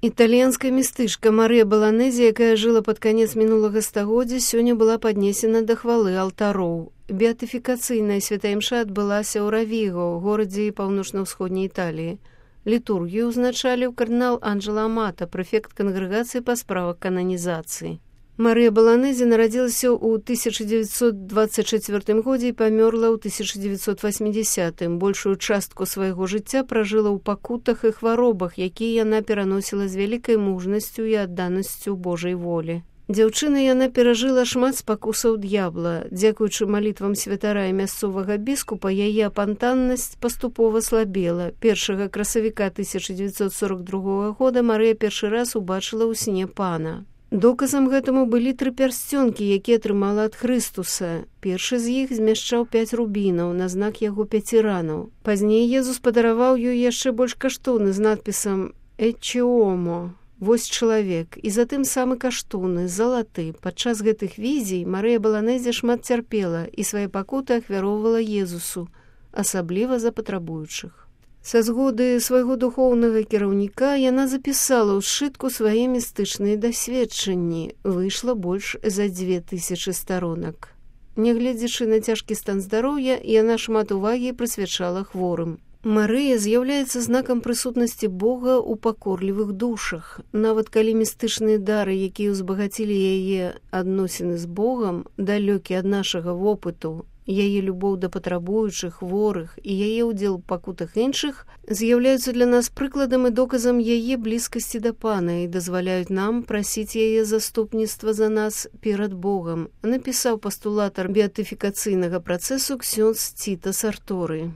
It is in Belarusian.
Італьянская містычка Марыя Баланэзе, якая жыла пад канец мінулага стагоддзя, сёння была паднесена да хвалы алтароў. Беатыфікацыйная святая імша адбылася ў Равіго, горадзе паўночна-ўсходняй Італіі. Літургію ўзначаліў кардынал Анджело Амата, прэфект кангрэгацыі па справах кананізацыі. Марыя Баланэзе нарадзілася ў 1924 годзе і памёрла ў 1980. Большую частку свайго жыцця пражыла ў пакутах і хваробах, якія яна пераносіла з вялікай мужнасцю і адданасцю Божай волі. Дзяўчына яна перажыла шмат спакусаў д'ябла. Дзякуючы малітвам святара і мясцовага біскупа, яе апантаннасць паступова слабела. 1 красавіка 1942 года Марыя першы раз убачыла ў сне пана. Доказам гэтаму былі 3 пярсцёнкі, якія атрымала ад Хрыстуса. Першы з іх змяшчаў 5 рубінаў на знак яго 5 ранаў. Пазней Езус падараваў ёй яшчэ больш каштоўны з надпісам «Ecce homo» – «Вось чалавек», і затым самы каштоўны, залаты. Падчас гэтых візій Марыя Баланэзе шмат цярпела і свае пакуты ахвяроўвала Езусу, асабліва за патрабуючых. Са згоды свайго духоўнага кіраўніка яна запісала ў сшытку свае містычныя дасведчанні. Выйшла больш за 2000 старонак. Нягледзячы на цяжкі стан здароўя, яна шмат увагі прысвячала хворым. Марыя з'яўляецца знакам прысутнасці Бога ў пакорлівых душах. Нават калі містычныя дары, якія ўзбагацілі яе адносіны з Богам, далёкі ад нашага вопыту, яе любоў да патрабуючых, хворых і яе ўдзел у пакутах іншых з'яўляюцца для нас прыкладам і доказам яе блізкасці да Пана і дазваляюць нам прасіць яе заступніцтва за нас перад Богам, напісаў пастулатар беатыфікацыйнага працэсу ксёндз Ціта Сарторы.